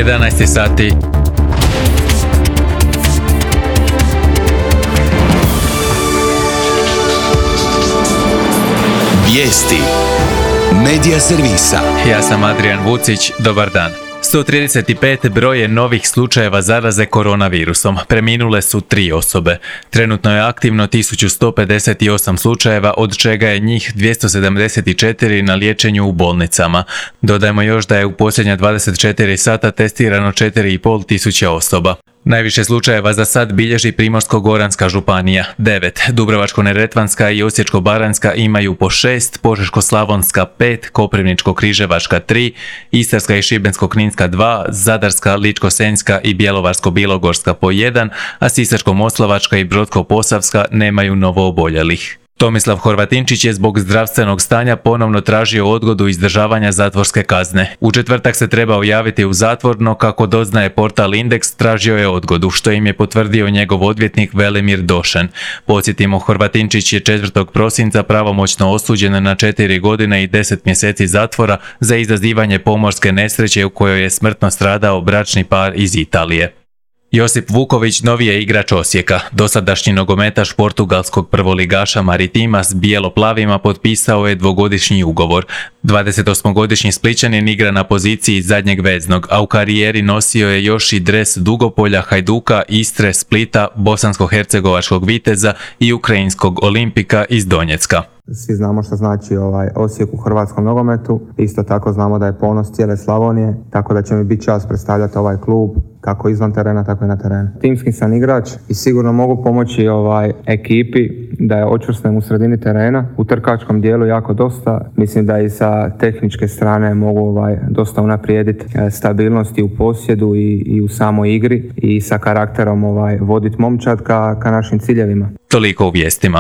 11 sati. Vijesti Medija servisa. Ja sam Adrian Vucić, dobar dan. 135 broj je novih slučajeva zaraze koronavirusom. Preminule su 3 osobe. Trenutno je aktivno 1158 slučajeva, od čega je njih 274 na liječenju u bolnicama. Dodajmo još da je u posljednja 24 sata testirano 4,5 tisuće osoba. Najviše slučajeva za sad bilježi Primorsko-goranska županija 9, Dubrovačko-neretvanska i Osječko-baranjska imaju po 6, Požeško-slavonska 5, Koprivničko-križevačka 3, Istarska i Šibensko-kninska 2, Zadarska, Ličko-senjska i Bjelovarsko-bilogorska po 1, a Sisačko-moslavačka i Brodsko-posavska nemaju novooboljelih. Tomislav Horvatinčić je zbog zdravstvenog stanja ponovno tražio odgodu izdržavanja zatvorske kazne. U četvrtak se trebao javiti u zatvor, no kako doznaje portal Indeks, tražio je odgodu, što im je potvrdio njegov odvjetnik Velimir Došen. Podsjetimo, Horvatinčić je 4. prosinca pravomoćno osuđen na 4 godine i 10 mjeseci zatvora za izazivanje pomorske nesreće u kojoj je smrtno stradao bračni par iz Italije. Josip Vuković novi je igrač Osijeka. Dosadašnji nogometaš portugalskog prvoligaša Maritima s bijelo-plavima potpisao je 2-godišnji ugovor. 28-godišnji Splićanin igra na poziciji zadnjeg veznog, a u karijeri nosio je još i dres Dugopolja, Hajduka, Istre, Splita, Bosansko-hercegovačkog Viteza i ukrajinskog Olimpika iz Donjecka. Svi znamo što znači Osijek u hrvatskom nogometu. Isto tako znamo da je ponos cijele Slavonije, tako da će mi biti čast predstavljati ovaj klub kako izvan terena, tako i na terenu. Timski sam igrač i sigurno mogu pomoći ekipi da je očvrsnem u sredini terena. U trkačkom dijelu jako dosta. Mislim da i sa tehničke strane mogu dosta unaprijediti stabilnosti u posjedu i u samoj igri i sa karakterom voditi momčad ka našim ciljevima. Toliko u vijestima.